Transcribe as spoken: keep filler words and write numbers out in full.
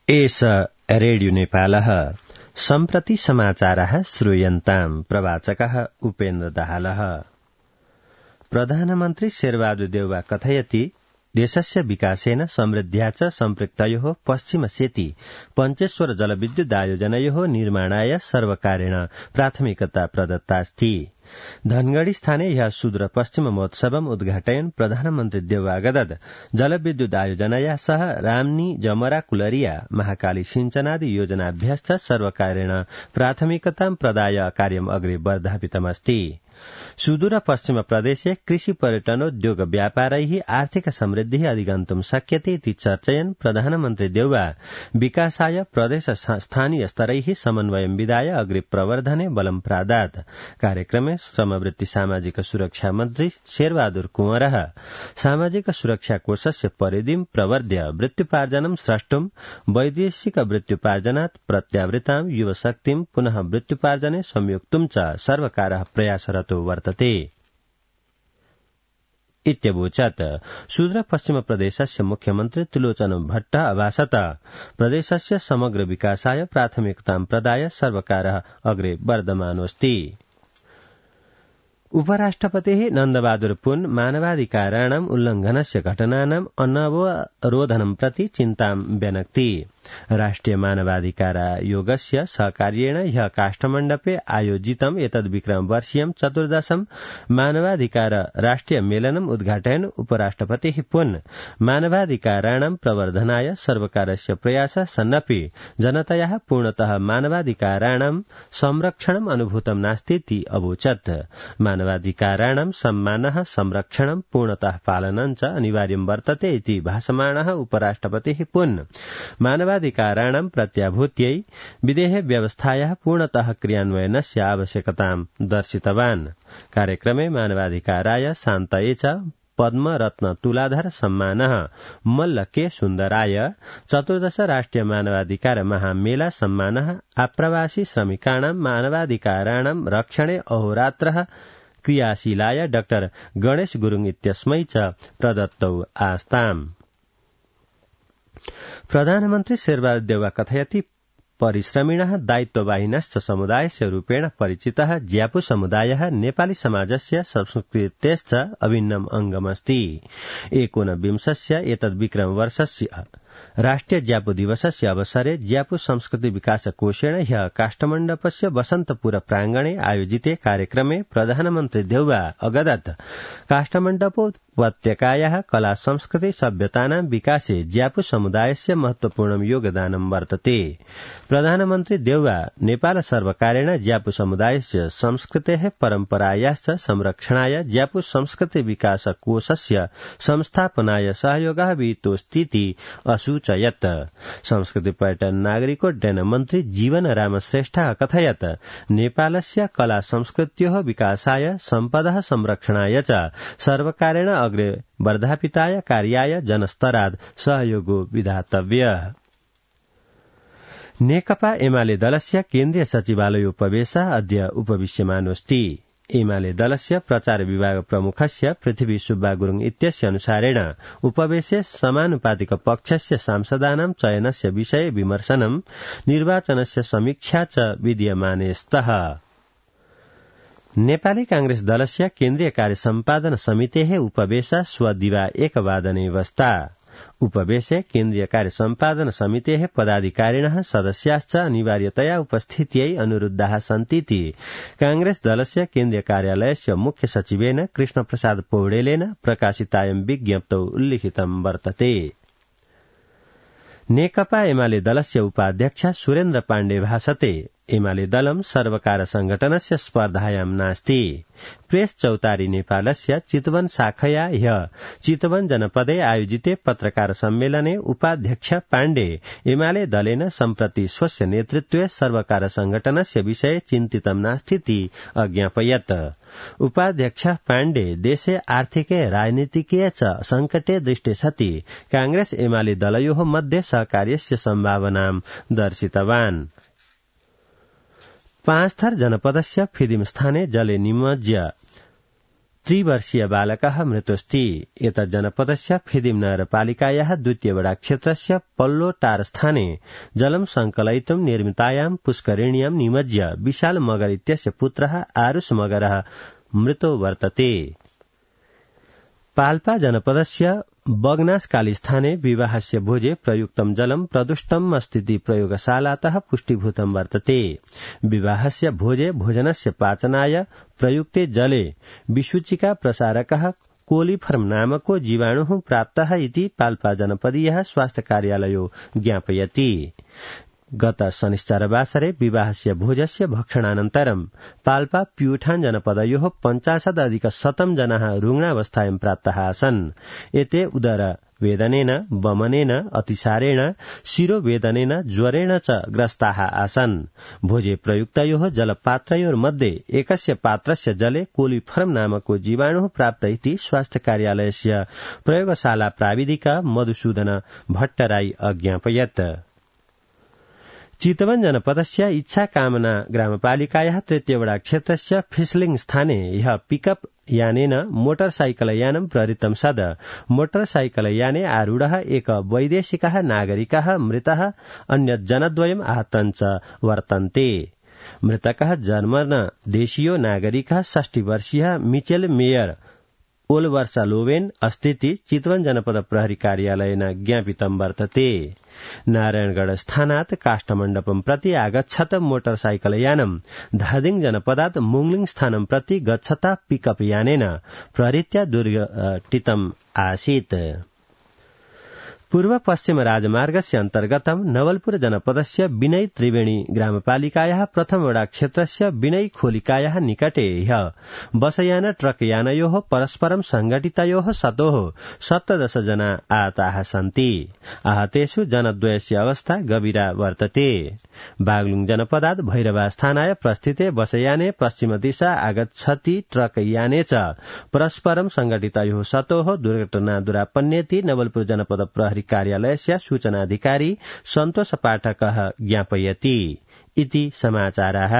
एष रेडियो नेपालः सम्प्रति समाचारः श्रूयन्ताम् प्रवाचकः उपेन्द्र दाहालः। प्रधानमन्त्री शेरबहादुर देउवा कथयति देशस्य विकासेन समृद्ध्या च सम्पृक्तयोः पश्चिमसेति पञ्चेश्वर जलविद्युदायोजनयोः निर्माणाय सर्वकारेण प्राथमिकता प्रदत्तास्ति। धनगढ़ी स्थाने यह सुदूर पश्चिम महोत्सवम् उद्घाटयन् प्रधानमन्त्री देउवा गदद जलविद्युदायोजनया सह रामनी जमरा कुलरिया महाकाली सिंचनादि योजनाभ्यश्च सर्वकारेण प्राथमिकतां प्रदाय कार्यम् अग्रे वर्धापितमस्ति। सुदूर पश्चिम प्रदेशे कृषि पर्यटनोद्योग व्यापारैः आर्थिक समृद्धिः अधिगन्तुं शक्यते इति चर्चयन् प्रधानमन्त्री देउवा विकासाय प्रदेश स्थानीय स्तरैः समन्वयं विधाय अग्रे प्रवर्धने बलं प्रादात्। कार्यक्रमे समवृत्ति सामाजिक सुरक्षा मन्त्री शेरबहादुर कुँवरः सामाजिक सुरक्षा कोषस्य परिधिं प्रवर्ध्य वृत्त्युपार्जनं स्रष्टुं वैदेशिक वृत्त्युपार्जनात् प्रत्यावृतां युवशक्तिं पुनः वृत्त्युपार्जने संयोक्तुं च सर्वकारः प्रयासरतो वर्तते इत्यवोचत्। सुदूर पश्चिम प्रदेशस्य मुख्यमन्त्री त्रिलोचन भट्ट अभाषत प्रदेशस्य समग्र विकासाय प्राथमिकतां प्रदाय सर्वकारः अग्रे वर्धमानोऽस्ति। उपराष्ट्रपतिः नन्दबहादुर पुन मानवाधिकाराणाम् उल्लंघनस्य घटनानाम् अनवरोधनं प्रति चिन्तां व्यनक्ति। राष्ट्रिय मानवाधिकार आयोगस्य सहकार्येण ह्यः काष्ठमण्डपे आयोजितम् एतद् विक्रम वर्षीयं चतुर्दशं मानवाधिकार राष्ट्रिय मेलनम् उद्घाटयन् उपराष्ट्रपतिः पुन मानवाधिकाराणां प्रवर्धनाय सर्वकारस्य प्रयासः सन्नपि जनतयाः पूर्णतः मानवाधिकाराणां संरक्षणम् अनुभूतं नास्तीति अवोचत्। मानवाधिकाराणां सम्मानः संरक्षणं पूर्णतः पालनं च अनिवार्यं वर्तते इति भाषमाणः उपराष्ट्रपतिः पुन मानवाधिकाराणां प्रत्याभूत्यै विदेह व्यवस्थायाः पूर्णतः क्रियान्वयनस्य आवश्यकतां दर्शितवान्। कार्यक्रमे मानवाधिकाराय शान्तये च पद्मरत्न तुलाधर सम्मानः मल्ल के सुन्दराय, चतुर्दश राष्ट्रिय मानवाधिकार महामेला सम्मानः आप्रवासी श्रमिकाणां मानवाधिकाराणां रक्षणे अहोरात्रः क्रियाशीलाय डाक्टर गणेश गुरुङ इत्यस्मै च प्रदत्तौ आस्ताम्। प्रधानमन्त्री शेरबहादुर देउवा कथयति परिश्रमिणः दायित्ववाहिनश्च समुदायस्य रूपेण परिचितः ज्यापु समुदायः नेपाली समाजस्य संस्कृतेश्च अभिन्नम् अङ्गमस्ति। एकोनविंशस्य एतद् विक्रम वर्षस्य राष्ट्रिय ज्यापु दिवसस्य अवसरे ज्यापु संस्कृति विकास कोषेण ह्यः काष्ठमण्डपस्य वसन्तपुर प्राङ्गणे आयोजिते कार्यक्रमे प्रधानमन्त्री देउवा अगदत् काष्ठमण्डपोपत्यकायाः कला संस्कृति सभ्यतानां विकासे ज्यापु समुदायस्य महत्वपूर्णं योगदानं वर्तते। प्रधानमन्त्री देउवा नेपाल सर्वकारेण ज्यापु समुदायस्य संस्कृतेः परम्परायाश्च संरक्षणाय ज्यापु संस्कृति विकास कोषस्य संस्थापनाय सहयोगः विहितोऽस्तीति असूचयत्। संस्कृति पर्यटन नागरिकोड्डयन मन्त्री जीवन राम श्रेष्ठः कथयत् नेपालस्य कला संस्कृत्योः विकासाय सम्पदः संरक्षणाय च सर्वकारेण अग्रे वर्धापिताय कार्याय जनस्तरात् सहयोगो विधातव्यः। नेकपा एमाले दलस्य केन्द्रीय सचिवालयोपवेशः अद्य उपविश्यमानोऽस्ति। एमाले दलस्य प्रचार विभाग प्रमुखस्य पृथ्वी सुब्बा गुरुङ इत्यस्य अनुसारेण उपवेशे समानुपातिक पक्षस्य सांसदानां चयनस्य विषये विमर्शनं निर्वाचनस्य समीक्षा च विद्यमाने स्तः। नेपाली कांग्रेस दलस्य केन्द्रीय कार्य सम्पादन समितेः उपवेशः स्वदिवा एकवादने वस्ता। उपवेशे केन्द्रीय कार्य सम्पादन समितेः पदाधिकारिणः सदस्याश्च अनिवार्यतया उपस्थित्यै अनुरुद्धाः सन्तीति कांग्रेस दलस्य केन्द्रीय कार्यालयस्य मुख्य सचिवेन कृष्णप्रसाद पौडेलेन प्रकाशितायं विज्ञप्तौ उल्लिखितं वर्तते। नेकपा एमाले दलस्य उपाध्यक्ष सुरेन्द्र पाण्डे भाषते एमाले दलं सर्वकार संघटनस्य स्पर्धायां नास्ति। प्रेस चौतारी नेपालस्य चितवन शाखया ह्यः चितवन जनपदे आयोजिते पत्रकार सम्मेलने उपाध्यक्ष पाण्डे एमाले दलेन सम्प्रति स्वस्य नेतृत्वे सर्वकार संघटनस्य विषये चिन्तितं नास्तीति अज्ञापयत्। उपाध्यक्ष पाण्डे देशे आर्थिके राजनीतिके च संकटे दृष्टे सति कांग्रेस एमाले दलयोः मध्ये सहकार्यस्य सम्भावनां दर्शितवान्। पाँचथर जनपदस्य फिदिम स्थाने जले निमज्य त्रिवर्षीय बालकः मृतोऽस्ति। एतत् जनपदस्य फिदिम नगरपालिकायाः द्वितीय वडा क्षेत्रस्य पल्लोटारस्थाने जलं संकलयितुं निर्मितायां पुष्करिण्यां निमज्य विशाल मगर इत्यस्य पुत्रः आरुष मगरः मृतो वर्तते। पाल्पा जनपदस्य बग्नासकालीस्थाने विवाहस्य भोजे प्रयुक्तं जलं प्रदुष्टम् अस्तीति प्रयोगशालातः पुष्टिभूतं वर्तते। विवाहस्य भोजे भोजनस्य पाचनाय प्रयुक्ते जले विसूचिका प्रसारकः कोलिफर्म नामको जीवाणुः प्राप्तः इति पाल्पा जनपदीयः स्वास्थ्य कार्यालयो ज्ञापयति। गत शनिश्चरवासरे विवाहस्य भोजस्य भक्षणानन्तरं पाल्पा प्यूठान जनपदयोः पञ्चाशदधिक शतं जनाः रुग्णावस्थायां प्राप्ताः आसन्। एते उदर वेदनेन, वमनेन, अतिसारेण, शिरोवेदनेन, ज्वरेण च ग्रस्ताः आसन्। भोजे प्रयुक्तयोः जलपात्रयोर्मध्ये एकस्य पात्रस्य जले कोलिफर्म नामको जीवाणुः प्राप्त इति स्वास्थ्य कार्यालयस्य प्रयोगशाला प्राविधिक मधुसूदन भट्टराई अज्ञापयत्। चितवन जनपदस्य इच्छा कामना ग्रामपालिकायाः तृतीयवडा क्षेत्रस्य फिस्लिङ स्थाने ह्यः पिकअप यानेन मोटरसाइकलयानं प्रहृतं सद मोटरसाइकलयाने आरूढः एक वैदेशिकः नागरिकः मृतः, अन्य जनद्वयम् आहतं च वर्तन्ते। मृतकः जर्मन देशीयो नागरिकः षष्टि वर्षीयः मिचेल मेयर ओलवर्षा लोवेन अस्थिति चितवन जनपद प्रहरी कार्यालयेन ज्ञापितं वर्तते। नारायणगढ़ स्थानात् काष्ठमण्डपं प्रति आगच्छत मोटरसाइकलयानं धादिङ जनपदात् मुङलिङ स्थानं प्रति गच्छता पिकअप यानेन प्रहरीत्या दुर्घटितम् आसीत्। पूर्व पश्चिम राजमार्गस्य अन्तर्गतं नवलपुर जनपदस्य विनय त्रिवेणी ग्रामपालिकायाः प्रथम वडा क्षेत्रस्य विनय खोलिकायाः निकटे ह्यः बसयान ट्रकयानयोः परस्परं संघटितयोः सतोः सप्तदश जना आहताः सन्ति। आहतेषु जनद्वयस्य अवस्था गभीरा वर्तते। बागलुङ जनपदात् भैरवास्थानाय प्रस्थिते बसयाने पश्चिम दिशा आगच्छति ट्रकयाने च परस्परं संघटितयोः सतोः दुर्घटना दुरापन्नेति नवलपुर जनपद प्रहरी कार्यालयस्य सूचनाधिकारी सन्तोष पाठकः ज्ञापयति इति समाचारः।